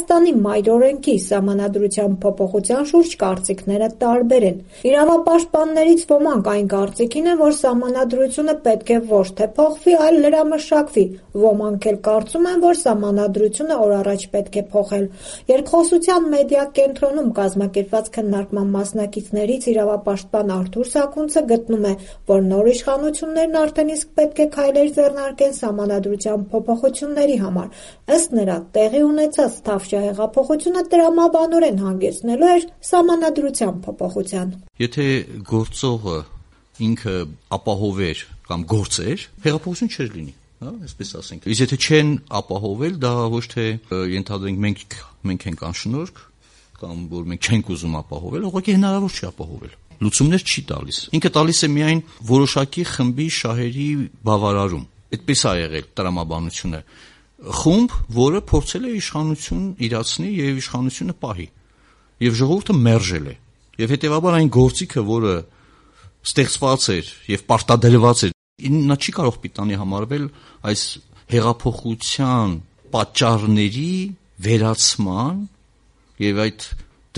Հայաստանի մայրօրենքի սահմանադրության փոփոխության շուրջ կարծիքները տարբեր են։ Իրավապաշտպաններից ոմանք այն կարծիքին են, որ սահմանադրությունը պետք է ոչ թե փոխվի, այլ լրամշակվի, ոմանք էլ կարծում են, որ սահմանադրությունը օր առաջ պետք է փոխել։ Երկխոսության մեդիա կենտրոնում կազմակերպված քննարկման մասնակիցներից իրավապաշտպան Արթուր Սաքունցը գտնում է, որ նոր իշխանություններն արդեն իսկ պետք է քայլեր ձեռնարկեն սահմանադրության փոփոխությունների համար։ Ըստ նրա, տեղի ունեցած Թավշյա հեղափոխությունը տրամաբանորեն հանգեցնելու էր սահմանադրության փոփոխության։ Եթե գործողը ինքը ապահովեր կամ գործեր, հեղափոխություն չէր լինի, այսպես ասենք։ Իսկ եթե չեն ապահովել, դա ոչ թե ենթադրենք մենք ենք անշնորհք կամ որ մենք չենք ուզում ապահովել, ուղղակի հնարավոր չի ապահովել։ Լուծումներ չի տալիս։ Ինքը տալիս է միայն որոշակի խմբի շահերի բավարարում։ Այդպես է եղել տրամաբանությունը։ Խումբ, որը փորձել է իշխանություն իրացնի եւ իշխանությունը պահի։ Եվ ժողովուրդը մերժել է։ Եվ հետեւաբար այն գործիքը, որը ստեղծված էր եւ պարտադրված էր, նա չի կարող պիտանի համարվել այս հեղափոխության պատճառների վերացման եւ այդ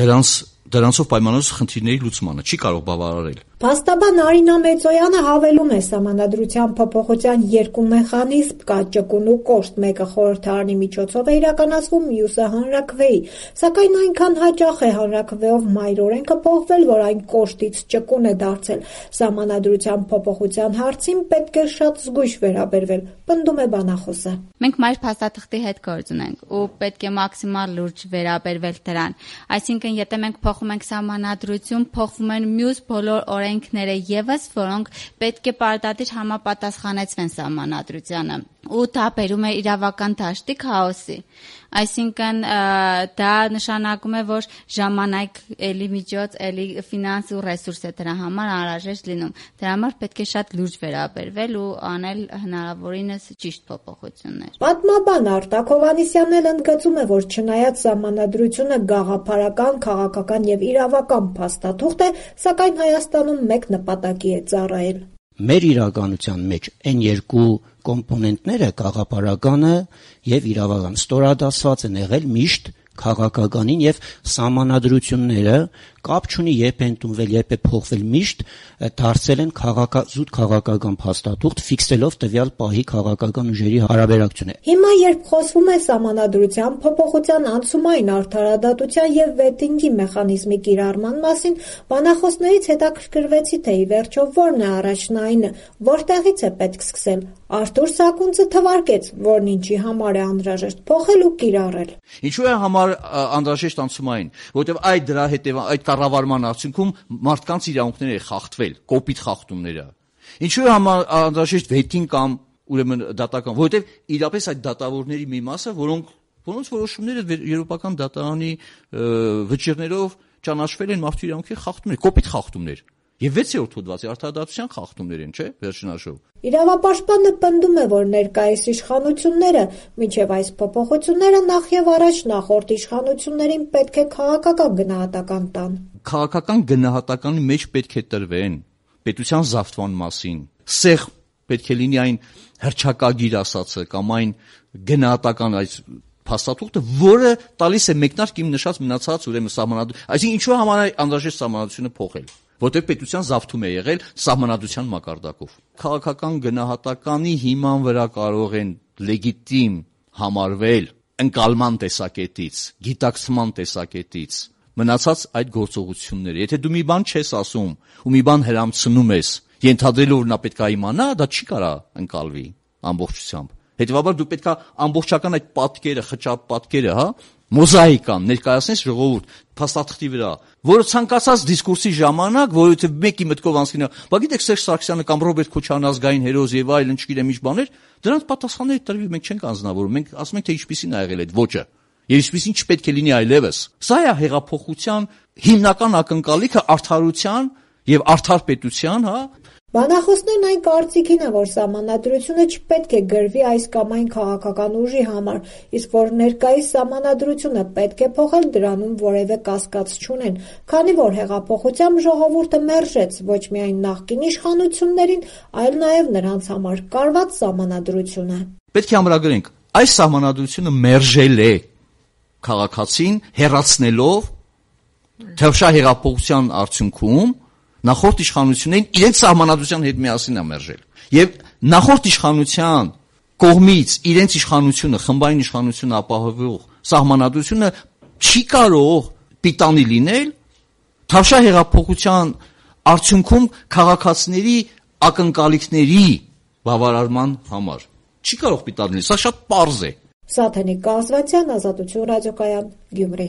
դրանցով պայմանավորված խնդիրների լուծմանը չի կարող բավարարել։ Փաստաբան Արինա Մեծոյանը հավելում է սահմանադրության փոփոխության երկու մեխանիզմ կա՝ ճկուն ու կոշտ, մեկը խորհրդարանի միջոցով է իրականացվում, մյուսը հանրաքվեի, սակայն այնքան հաճախ է հանրաքվեով մայրօրենքը փոխվել, որ այն կոշտից ճկուն է դարձել։ Սահմանադրության փոփոխության հարցին պետք է շատ զգույշ վերաբերվել, պնդում է բանախոսը։ Մենք մայր փաստաթղթի հետ գործ ունենք ու պետք է մաքսիմալ լուրջ վերաբերվել դրան։ Այսինքն, եթե մենք փոխում ենք սահմանադրություն, փոխվում են մյուս բոլոր օրենքները եւս, որոնք պետք է պարտադիր համապատասխանեցվեն սահմանադրությանը, ու դա բերում է իրավական դաշտի քաոսի։ Այսինքն դա նշանակում է, որ ժամանակ, էլի միջոց, էլի ֆինանս ու ռեսուրս է դրա համար անհրաժեշտ լինում։ Դրա համար պետք է շատ լուրջ վերաբերվել ու անել հնարավորինս ճիշտ փոփոխություններ։ Պատմաբան Արտակ Հովհաննիսյանն էլ ընդգծում է, որ չնայած սահմանադրությունը գաղափարական, քաղաքական եւ իրավական փաստաթուղթ է, սակայն Հայաստանում մեկ նպատակի է ծառայել։ Մեր իրականության մեջ այն երկու կոմպոնենտները գաղափարականը եւ իրավական ստորադասված են եղել միշտ քաղաքականին եւ սահմանադրությունները կապ չունի երբ են տունվել, երբ է փոխվել, միշտ դարձել են զուտ քաղաքական փաստաթուղթ, ֆիքսելով տվյալ պահի քաղաքական ուժերի հարաբերակցությունը։ Հիմա երբ խոսվում է սահմանադրության փոփոխության անցումային արդարադատության եւ վետինգի մեխանիզմի կիրառման մասին, բանախոսներից հետաքրքրվեցի, թե ի վերջո որն է առաջնայինը, որտեղից է պետք սկսել։ Արթուր Սաքունցը թվարկեց, որն ինչի համար է անհրաժեշտ փոխել ու կիրառել։ Ինչու է անհրաժեշտ անցումային, որովհետև այդ կառավարման արդյունքում մարդկանց իրավունքները խախտվել, կոպիտ խախտումները։ Ինչու է անհրաժեշտ վետինգ կամ ուրեմն դատական, որովհետև իրապես այդ դատավորների մի մասը, որոնց որոշումները եվրոպական դատարանի վճիռներով ճանաչվել են մարդու իրավունքների խախտումներ, կոպիտ խախտումներ։ Եվ 6-րդ հոդվածի արդարադատության խախտումներ են, չէ՞, վերջնաշով։ Իրավապաշտպանը պնդում է, որ ներկայիս իշխանությունները, մինչև այս փոփոխությունները նախ եւ առաջ նախորդ իշխանություններին պետք է քաղաքական գնահատական տան։ Քաղաքական գնահատականի մեջ պետք է տրվեն պետության զավթման մասին։ Սեղ պետք է լինի այն հռչակագիր ասածը կամ այն գնահատական այս փաստաթուղթը, որը տալիս է մեկնարկ իմ նշած մնացած ուրեմն սահմանադրություն։ Այսինքն ինչու համար է անհրաժեշտ սահմանադրությունը փոխել, որտեղ պետության զավթում է եղել սահմանադրության մակարդակով։ Քաղաքական գնահատականի հիման վրա կարող են լեգիտիմ համարվել ընկալման տեսակետից, գիտակցման տեսակետից մնացած այդ գործողությունները։ Եթե դու մի բան չես ասում ու մի բան հրամցնում ես, ենթադրելով որ նա պետք է իմանա, դա չի կարա ընկալվի ամբողջությամբ։ Հետևաբար դու պետք է ամբողջական այդ պատկերը, խճապ պատկերը, մոզաիկան ներկայացնես ժողովուրդ փաստաթղթի վրա, որը ցանկացած դիսկուրսի ժամանակ, որովհետև մեկի մտքով անցնի, բա գիտեք Սերժ Սարգսյանը կամ Ռոբերտ Քոչարյանը ազգային հերոս եւ այլն, չգիտեմ ինչ բաներ, դրանց պատասխանները տրվի, մենք չենք անձնավորում, մենք ասում ենք թե ինչպեսին ա եղել այդ ոճը եւ ինչպեսին չպետք է լինի այլևս։ Սա է հեղափոխության հիմնական ակնկալիքը արդարության եւ արդար պետության, Բանախոսներն այն կարծիքին է, որ սահմանադրությունը չպետք է գրվի այս կամ այն քաղաքական ուժի համար, իսկ որ ներկայիս սահմանադրությունը պետք է փոխել, դրանում որևէ կասկած չունեն, քանի որ հեղափոխությամբ ժողովուրդը մերժեց ոչ միայն նախկին իշխանություններին, այլ նաև նրանց համար կարված սահմանադրությունը։ Պետք է ամրագրենք, այս սահմանադրությունը մերժել է քաղաքացին հեռացնելով Թավշյա հեղափոխության արդյունքում նախորդ իշխանություններին իրենց սահմանադրության հետ միասին ամերժել։ Եվ նախորդ իշխանության կողմից իրենց իշխանությունը, խմբային իշխանությունը ապահովող սահմանադրությունը չի կարող պիտանի լինել Թավշյա հեղափոխության արդյունքում քաղաքացիների ակնկալիքների բավարարման համար։ Չի կարող պիտանի լինել, սա շատ պարզ է։ Սաթենիկ Կազվացյան, Ազատություն ռադիոկայան, Գյումրի։